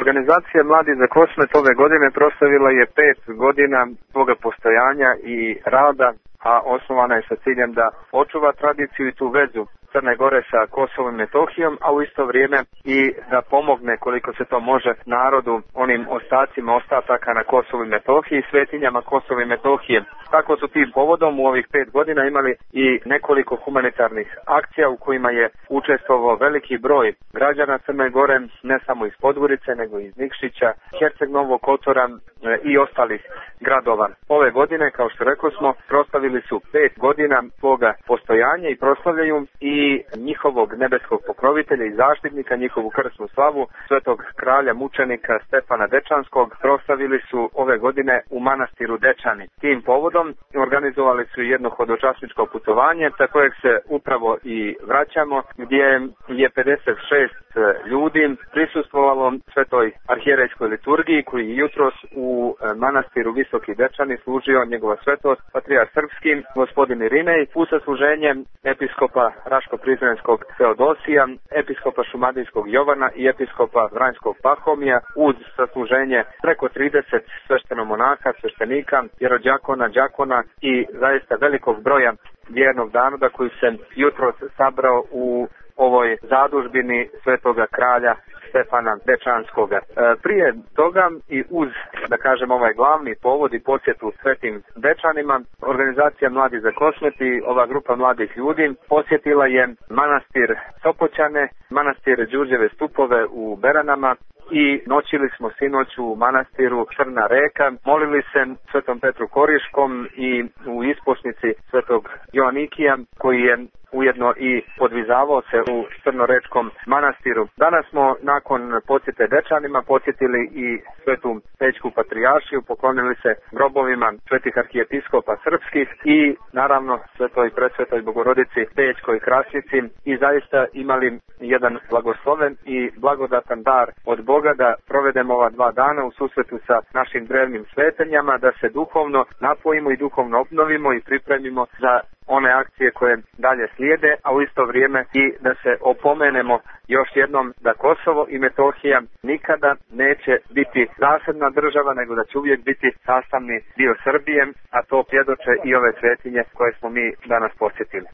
Organizacija Mladi za Kosmet ove godine proslavila je 5 godina svoga postojanja i rada, a osnovana je sa ciljem da očuva tradiciju i tu vezu Crne Gore sa Kosovom i Metohijom, a u isto vrijeme i da pomogne koliko se to može narodu, onim ostacima ostataka na Kosovu i Metohiji, svetinjama Kosova i Metohije. Tako su tim povodom u ovih 5 godina imali i nekoliko humanitarnih akcija u kojima je učestvovao veliki broj građana Crne Gore, ne samo iz Podgorice, nego i iz Nikšića, Herceg Novog Kotora i ostalih gradova. Ove godine, kao što rekao smo, proslavili su 5 godina svoga postojanja i proslavljaju i njihovog nebeskog pokrovitelja i zaštitnika, njihovu krsnu slavu, svetog kralja mučenika Stefana Dečanskog, proslavili su ove godine u manastiru Dečani. Tim povodom organizovali su jedno hodočasničko putovanje, sa kojeg se upravo i vraćamo, gdje je 56 ljudi prisustvovalo svetoj arhijerejskoj liturgiji, koji je jutros u manastiru Visoki Dečani služio njegova svetost, patrijar srpski, gospodin Irinej, u sasluženje episkopa Raško-Prizrenskog Teodosija, episkopa Šumadijskog Jovana i episkopa Vranjskog Pahomija, uz sasluženje preko 30 sveštenomonaha, sveštenika, vjerođakona, đakona i zaista velikog broja vjernog naroda koji se jutros sabrao u ovoj zadužbini svetoga kralja Stefana Dečanskoga. Prije toga i uz, da kažem, ovaj glavni povod i posjetu svetim Dečanima, organizacija Mladi za Kosmet i ova grupa mladih ljudi posjetila je manastir Sopoćane, manastir Đurđeve Stupove u Beranama i noćili smo sinoć u manastiru Crna Reka, molili se svetom Petru Koriškom i u isposnici svetog Joanikija, koji je ujedno i podvizavao se u Crnorečkom manastiru. Danas smo nakon posjete Dečanima posjetili i svetu Pećku patrijaršiju, poklonili se grobovima svetih arhijepiskopa srpskih i naravno svetoj presvetoj Bogorodici Pećkoj Krasnici i zaista imali jedan blagosloven i blagodatan dar od Boga da provedemo ova 2 dana u susretu sa našim drevnim svetenjama, da se duhovno napojimo i duhovno obnovimo i pripremimo za one akcije koje dalje slijede, a u isto vrijeme i da se opomenemo još jednom da Kosovo i Metohija nikada neće biti zasebna država, nego da će uvijek biti sastavni dio Srbije, a to svjedoče i ove svetinje koje smo mi danas posjetili.